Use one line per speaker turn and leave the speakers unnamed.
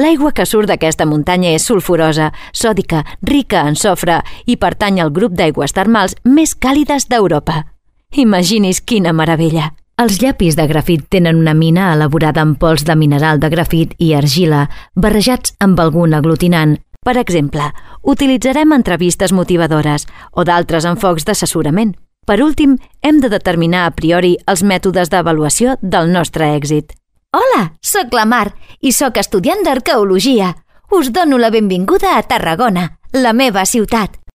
L'aigua que surt d'aquesta muntanya és sulfurosa, sòdica, rica en sofre i pertany al grup d'aigües termals més càlides d'Europa. Imagini's quina meravella! Els llapis de grafit tenen una mina elaborada amb pols de mineral de grafit i argila barrejats amb algun aglutinant. Per exemple, utilitzarem entrevistes motivadores o d'altres enfocs d'assessorament. Per últim, hem de determinar a priori els mètodes d'avaluació del nostre èxit. Hola, sóc la Mar i sóc estudiant d'arqueologia. Us dono la benvinguda a Tarragona, la meva ciutat.